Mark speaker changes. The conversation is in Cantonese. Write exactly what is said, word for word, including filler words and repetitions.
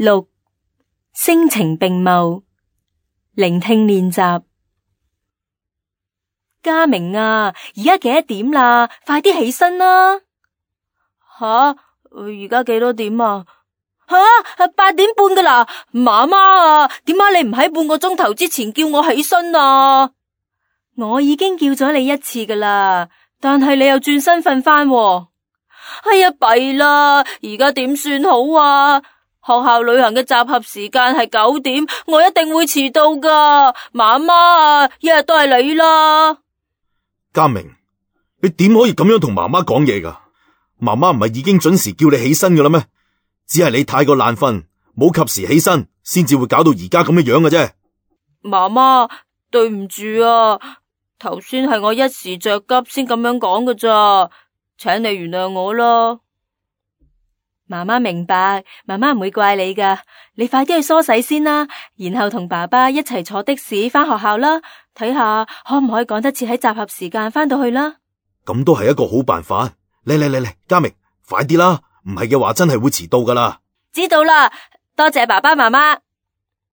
Speaker 1: 六、聲情並茂，聆聽練習。嘉明啊，而家幾多點啦？快啲起身啦！吓，而家幾多點啊？吓，八點半噶啦！媽媽啊，點解你唔喺半個鐘頭之前叫我起身啊？我已經叫咗你一次噶啦，但係你又轉身瞓翻喎。哎呀，弊啦！而家點算好啊？學校旅行嘅集合時間係九點，我一定會遲到噶。媽媽啊，一日都係你啦。
Speaker 2: 嘉明，你點可以咁樣同媽媽講嘢噶？媽媽唔係已經準時叫你起身噶啦咩？只係你太過懶瞓，冇及時起身，先至會搞到而家咁嘅樣嘅啫。
Speaker 1: 媽媽，對唔住啊，頭先係我一時着急先咁樣講噶咋，請你原諒我啦。媽媽明白，媽媽唔會怪你噶。你快啲去梳洗先啦，然後同爸爸一齊坐的士返學校啦，睇下可唔可以趕得切喺集合時間返到去啦。
Speaker 2: 咁都係一個好辦法。嚟嚟嚟嚟，嘉明，快啲啦，唔係嘅話真係會遲到噶啦。
Speaker 1: 知道啦，多謝爸爸媽媽。